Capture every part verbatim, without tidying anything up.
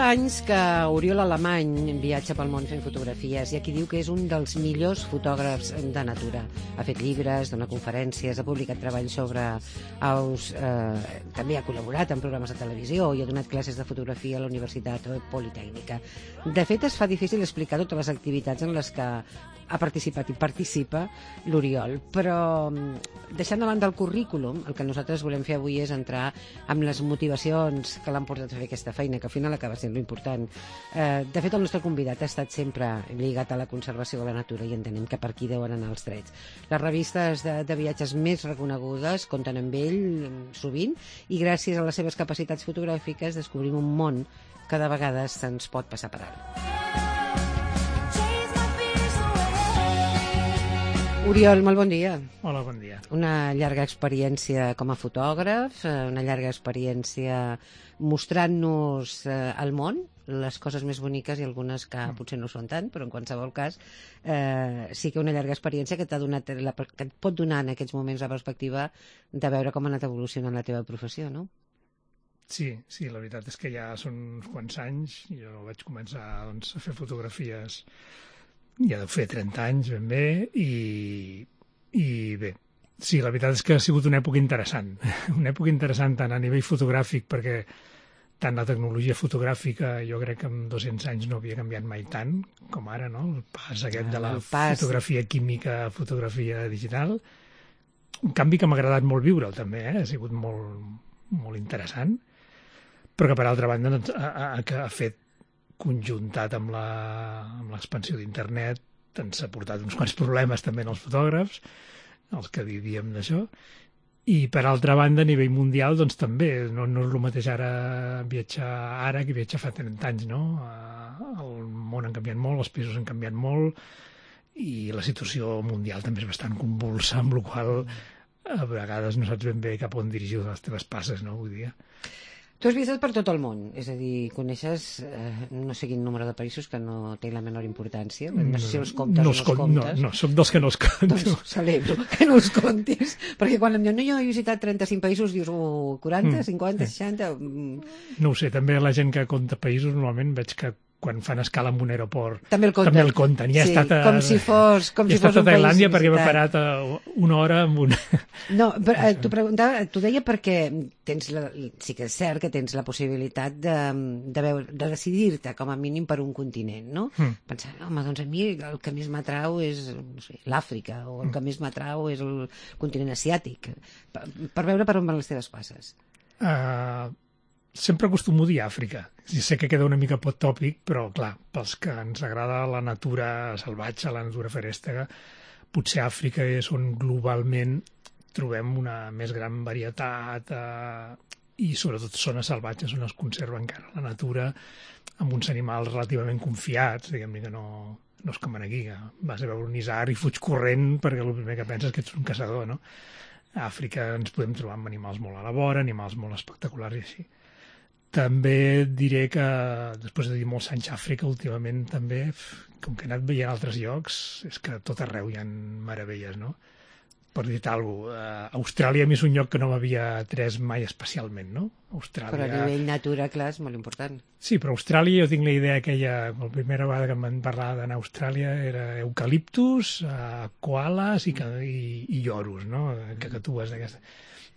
anys que Oriol Alemany viatja pel món fent fotografies i aquí diu que és un dels millors fotògrafs de natura. Ha fet llibres, dona conferències, ha publicat treballs sobre aus, eh, també ha col·laborat en programes de televisió i ha donat classes de fotografia a la Universitat Politècnica. De fet, es fa difícil explicar totes les activitats en les que ha participat i participa l'Oriol, però deixant de banda el currículum, el que nosaltres volem fer avui és entrar amb les motivacions que l'han portat a fer aquesta feina, que al final acaba sent l'important. Eh, de fet, el nostre convidat ha estat sempre lligat a la conservació de la natura i entenem que per aquí deuen anar els trets. Les revistes de, de viatges més reconegudes compten amb ell sovint i gràcies a les seves capacitats fotogràfiques descobrim un món que de vegades se'ns pot passar per alt. Oriol, molt bon dia. Hola, bon dia. Una llarga experiència com a fotògraf, una llarga experiència mostrant-nos eh, al món, les coses més boniques i algunes que mm. potser no són tant, però en qualsevol cas eh, sí que una llarga experiència que t'ha donat la, que et pot donar en aquests moments la perspectiva de veure com ha anat evolucionant la teva professió, no? Sí, sí, la veritat és que ja són uns quants anys. Jo vaig començar doncs, a fer fotografies ja deu fer trenta anys ben bé i, i bé, sí, la veritat és que ha sigut una època interessant, una època interessant tant a nivell fotogràfic perquè tant la tecnologia fotogràfica jo crec que en dos-cents anys no havia canviat mai tant com ara, no? El pas aquest de la fotografia química a fotografia digital, un canvi que m'ha agradat molt viure'l també, eh? Ha sigut molt, molt interessant, però que per altra banda doncs, ha, ha, ha fet conjuntat amb l'expansió d'internet ens ha portat uns quants problemes també als fotògrafs, els que vivíem d'això, i per altra banda a nivell mundial doncs també no, no és el mateix ara viatjar ara que viatjar fa trenta anys, no? El món ha canviat molt, els països han canviat molt i la situació mundial també és bastant convulsa, amb la qual a vegades no saps ben bé cap on dirigir les teves passes, no? Vull dir. Tu has viatjat per tot el món, és a dir, coneixes eh, no sé quin número de països que no té la menor importància, no sé si els comptes no o no els comptes. No, no, soc dels que no els compto. Doncs celebro que no els comptis, perquè quan em diuen, no, jo he visitat trenta-cinc països, dius, oh, quaranta, cinquanta, seixanta... No ho sé, també la gent que compta països normalment veig que quan fan escala en un aeroport també el compten, també el compten. I sí, ha estat a, com si fos, com si fos a un país Tailàndia perquè m'he visitat. parat a una hora amb una... No, però eh, t'ho preguntava, t'ho deia perquè tens la, sí que és cert que tens la possibilitat de, de, veure, de decidir-te com a mínim per un continent, no? Mm. Pensar, home, doncs a mi el que més m'atrau és no sé, l'Àfrica o el mm. que més m'atrau és el continent asiàtic, per, per veure per on van les teves passes. Uh... Sempre acostumo a dir Àfrica. Sí, sé que queda una mica pot tòpic, però clar, pels que ens agrada la natura salvatge, la natura ferèstega, potser Àfrica és on globalment trobem una més gran varietat eh, i sobretot zones salvatges on es conserva encara la natura amb uns animals relativament confiats, diguem-ne que no, no és com aquí, que vas a veure un isard i fuig corrent perquè el primer que penses que ets un caçador, no? A Àfrica ens podem trobar amb animals molt a la vora, animals molt espectaculars i així. També diré que, després de dir molts anys a Àfrica, últimament també, com que he anat veient altres llocs, és que a tot arreu hi ha meravelles, no? Per dir-te alguna cosa, Austràlia a mi és un lloc que no m'havia atès mai especialment, no? Austràlia... Però a nivell natura, clar, és molt important. Sí, però Austràlia, jo tinc la idea aquella, la primera vegada que em van parlar d'anar a Austràlia era eucaliptus, koalas i, i, i lloros, no? Cacatues d'aquesta...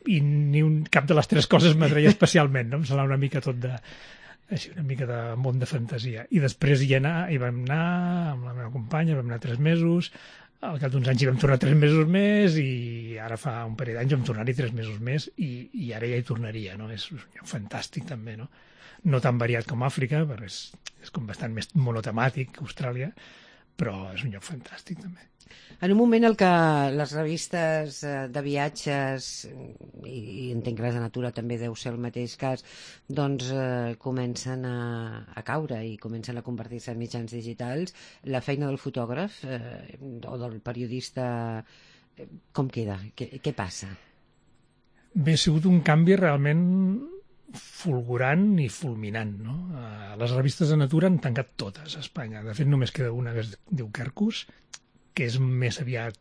I ni un, cap de les tres coses m'atreia especialment, no? Em semblava una mica tot de... així, una mica de món de fantasia. I després hi, anar, hi vam anar amb la meva companya, vam anar tres mesos, al cap d'uns anys hi vam tornar tres mesos més i ara fa un parell d'anys vam tornar-hi tres mesos més i, i ara ja hi tornaria, no? És un lloc fantàstic també, no? No tan variat com Àfrica, perquè és, és com bastant més monotemàtic que Austràlia, però és un lloc fantàstic també. En un moment en què les revistes de viatges, i, i entenc que les de natura també deu ser el mateix cas, doncs eh, comencen a, a caure i comencen a convertir-se en mitjans digitals, la feina del fotògraf eh, o del periodista, eh, com queda? Què, què passa? Bé, ha sigut un canvi realment fulgurant i fulminant, no? Uh, les revistes de natura han tancat totes a Espanya. De fet, només queda una que es diu Quercus, que és més aviat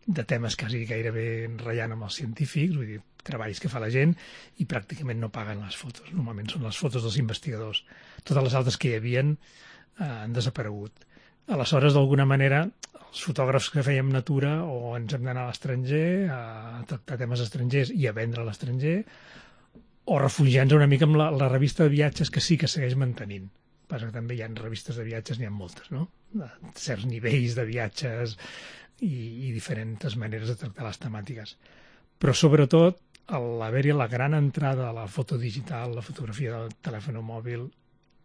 de temes quasi gairebé ratllant amb els científics, vull dir, treballs que fa la gent, i pràcticament no paguen les fotos. Normalment són les fotos dels investigadors. Totes les altres que hi havien eh, han desaparegut. Aleshores, d'alguna manera, els fotògrafs que fèiem natura o ens hem d'anar a l'estranger, a tractar temes estrangers i a vendre a l'estranger, o refugiar-nos una mica amb la, la revista de viatges, que sí que segueix mantenint. Passa que també hi ha revistes de viatges, n'hi ha moltes, no? De certs nivells de viatges i, i diferents maneres de tractar les temàtiques. Però, sobretot, a l'haver-hi la gran entrada a la foto digital, la fotografia del telèfon mòbil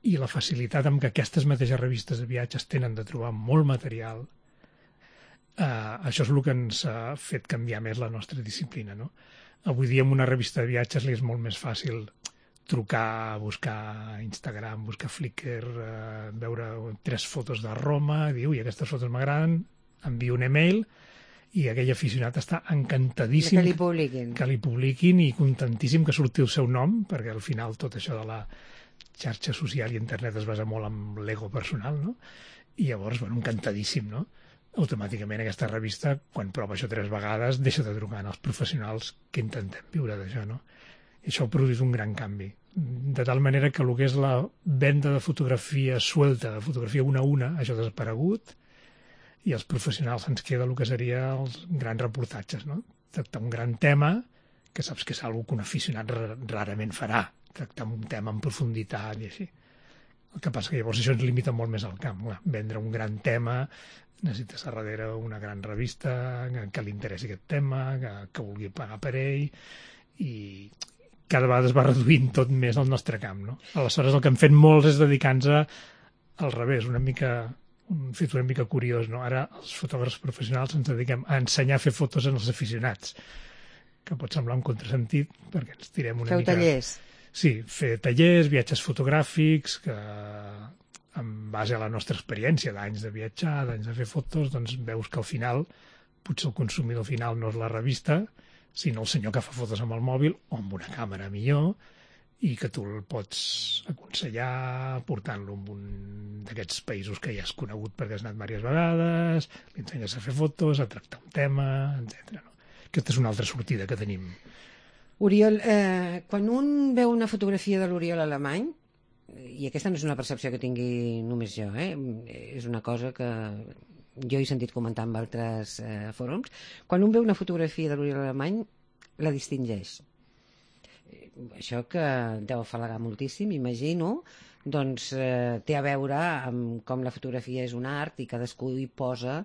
i la facilitat amb que aquestes mateixes revistes de viatges tenen de trobar molt material, eh, això és el que ens ha fet canviar més la nostra disciplina, no? Avui dia, amb una revista de viatges li és molt més fàcil trucar, buscar Instagram, buscar Flickr, eh, veure tres fotos de Roma, dir, ui, aquestes fotos m'agraden, envio un email i aquell aficionat està encantadíssim que li publiquin. que li publiquin i contentíssim que surti el seu nom, perquè al final tot això de la xarxa social i internet es basa molt en l'ego personal, no? I llavors, bueno, encantadíssim, no? Automàticament aquesta revista, quan prova això tres vegades, deixa de trucar als professionals que intentem viure d'això, no? I això produeix un gran canvi. De tal manera que el que és la venda de fotografia suelta, de fotografia una a una, això ha desaparegut, i els professionals ens queda el que seria els grans reportatges, no? Tractar un gran tema, que saps que és una que un aficionat rarament farà, tractar un tema en profunditat i així. El que passa que llavors això ens limita molt més al camp. Clar, vendre un gran tema, necessites a darrere una gran revista que, que li interessi aquest tema, que, que vulgui pagar per ell, i cada vegada es va reduint tot més al nostre camp, no? Aleshores, el que hem fet molts és dedicar-nos al revés, una mica, un fet una mica curiós, no? Ara els fotògrafs professionals ens dediquem a ensenyar a fer fotos als aficionats, que pot semblar un contrasentit, perquè ens tirem una Feu mica... Feu tallers? Sí, fer tallers, viatges fotogràfics, que en base a la nostra experiència d'anys de viatjar, d'anys de fer fotos, doncs veus que al final, potser el consumidor final no és la revista, sinó el senyor que fa fotos amb el mòbil o amb una càmera millor, i que tu el pots aconsellar portant-lo a un d'aquests països que ja has conegut perquè has anat diverses vegades, li ensenyes a fer fotos, a tractar un tema, etcètera. No? Aquesta és una altra sortida que tenim. Oriol, eh, quan un veu una fotografia de l'Oriol Alemany, i aquesta no és una percepció que tingui només jo, eh? És una cosa que jo he sentit comentar en altres eh, fòrums, quan un veu una fotografia de l'Oriol Alemany, la distingeix. Això que deu afalagar moltíssim, imagino, doncs eh, té a veure amb com la fotografia és un art i cadascú hi posa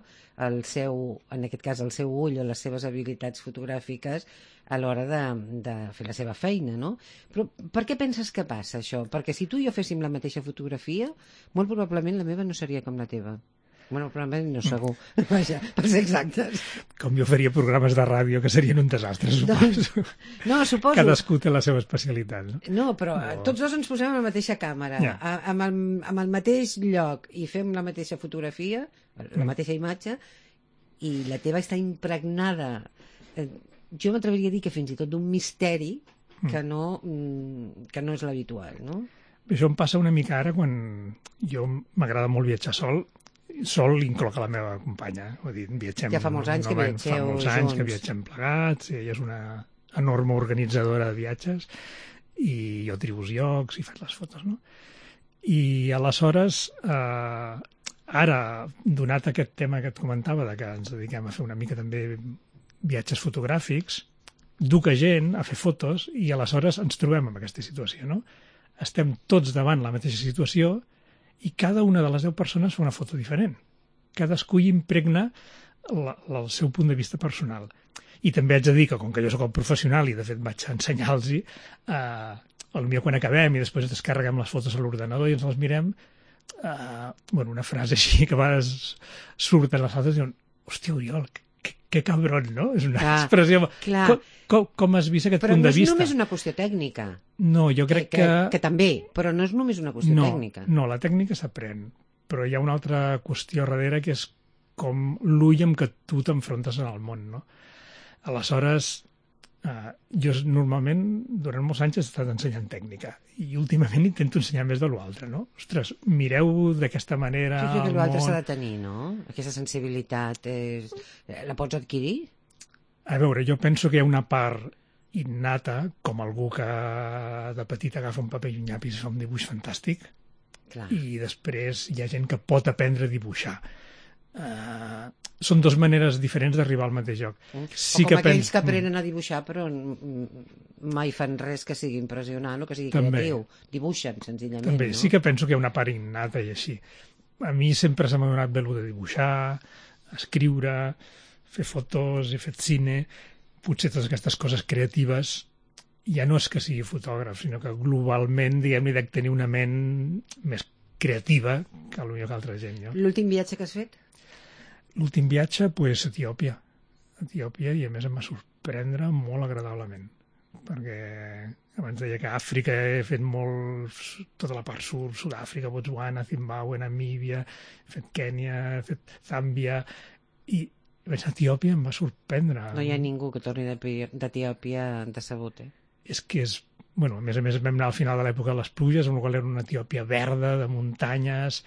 el seu, en aquest cas el seu ull o les seves habilitats fotogràfiques a l'hora de, de fer la seva feina, no? Però per què penses que passa això? Perquè si tu i jo féssim la mateixa fotografia, molt probablement la meva no seria com la teva. Bueno, probablement no segur, vaja, per ser exactes. Com jo faria programes de ràdio que serien un desastre, suposo. Doncs, no, suposo. Cadascú té la seva especialitat, no? No, però no. Tots dos ens posem a la mateixa càmera, ja. a, amb, el, amb el mateix lloc, i fem la mateixa fotografia, la mm. mateixa imatge, i la teva està impregnada. Eh, jo m'atreviria a dir que fins i tot d'un misteri que no, que no és l'habitual, no? Això em passa una mica ara quan jo m'agrada molt viatjar sol, sol incloc a la meva companya. Vull dir, viatgem, ja fa molts anys no, que viatgeu Fa molts anys junts. que viatgem plegats, ella és una enorme organitzadora de viatges i jo tribo els llocs i faig les fotos, no? I aleshores, eh, ara, donat aquest tema que et comentava, de que ens dediquem a fer una mica també viatges fotogràfics, duc a gent a fer fotos i aleshores ens trobem en aquesta situació, no? Estem tots davant la mateixa situació i cada una de les deu persones fa una foto diferent. Cadascú hi impregna la, la, el seu punt de vista personal. I també haig de dir que, com que jo sóc el professional i, de fet, vaig ensenyar-los, eh, potser quan acabem i després descarreguem les fotos a l'ordenador i ens les mirem, eh, bueno, una frase així que a vegades surten les altres i diuen, hòstia, Oriol, que, que cabron, no? És una clar, expressió... Clar. Com, com, com has vist aquest però punt no de vista? Però no és només una qüestió tècnica. No, jo crec que... Que, que també, però no és només una qüestió no, tècnica. No, la tècnica s'aprèn, però hi ha una altra qüestió darrere que és com l'ull amb què tu t'enfrontes en el món, no? Aleshores, eh, jo normalment, durant molts anys he estat ensenyant tècnica i últimament intento ensenyar més de l'altre, no? Ostres, mireu d'aquesta manera... Jo crec que l'altre s'ha de tenir, no? Aquesta sensibilitat és... la pots adquirir? A veure, jo penso que hi ha una part innata, com algú que de petit agafa un paper i un llapis i fa un dibuix fantàstic, Clar. i després hi ha gent que pot aprendre a dibuixar. Uh, són dues maneres diferents d'arribar al mateix lloc. Sí, o com que aquells que aprenen a dibuixar però mai fan res que sigui impressionant o que sigui També. creatiu. Dibuixen, senzillament. També, no? sí que penso que hi ha una part innata i així. A mi sempre se m'ha donat bé el de dibuixar, escriure, fer fotos, he fet cine, potser totes aquestes coses creatives. Ja no és que sigui fotògraf, sinó que globalment, diguem-ne, dec tenir una ment més creativa que potser que altra gent. No? L'últim viatge que has fet? L'últim viatge, pues, a Etiòpia. A Etiòpia, i a més em va sorprendre molt agradablement, perquè abans deia que a Àfrica he fet molt, tota la part sud, Sud-àfrica, Botswana, Zimbàbue, Namíbia, he fet Kènia, he fet Zàmbia, i vaig a Etiòpia, em va sorprendre. No hi ha ningú que torni d'Etiòpia decebut, eh? És que és... Bueno, a més a més vam anar al final de l'època de les pluges, amb la qual era una Etiòpia verda, de muntanyes,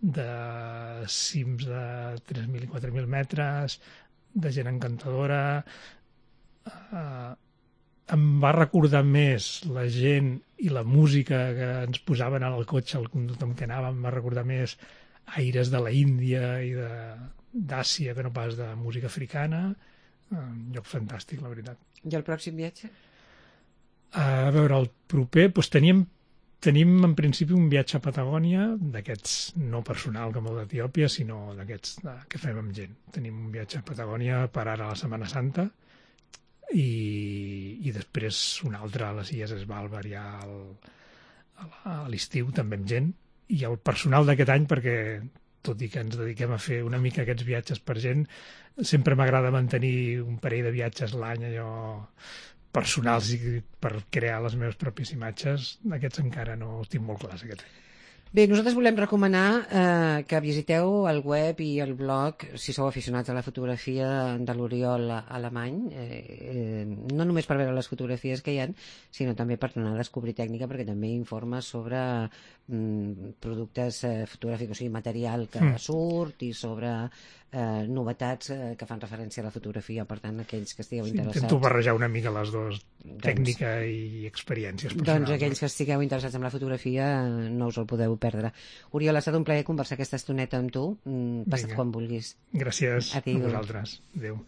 de cims de tres mil i quatre mil metres, de gent encantadora. Uh, em va recordar més la gent i la música que ens posaven al cotxe, al conducte amb què anàvem, em va recordar més aires de la Índia i d'Àsia que no pas de música africana. Un lloc fantàstic, la veritat. I el pròxim viatge? A veure, el proper, doncs teníem Tenim, en principi, un viatge a Patagònia, d'aquests no personal com el d'Etiòpia, sinó d'aquests que fem amb gent. Tenim un viatge a Patagònia per ara a la Setmana Santa i, i després un altre a les Illes Svalbard ja al, a l'estiu, també amb gent. I el personal d'aquest any, perquè tot i que ens dediquem a fer una mica aquests viatges per gent, sempre m'agrada mantenir un parell de viatges l'any, allò personals, i per crear les meves pròpies imatges. Aquests encara no els tinc molt clars, aquests. Bé, nosaltres volem recomanar eh, que visiteu el web i el blog, si sou aficionats a la fotografia, de l'Oriol Alemany, eh, eh, no només per veure les fotografies que hi ha, sinó també per donar a descobrir tècnica, perquè també informa sobre mm, productes eh, fotogràfics, o sigui, material que mm. surt, i sobre eh, novetats eh, que fan referència a la fotografia. Per tant, aquells que estigueu sí, interessats... Intento barrejar una mica les dues, doncs, tècnica i experiències personals. Doncs aquells que estigueu interessats en la fotografia no us el podeu perdre. Oriol, ha estat un plaer conversar aquesta estoneta amb tu. Passa't quan vulguis. Gràcies Adéu. a vosaltres. Adéu.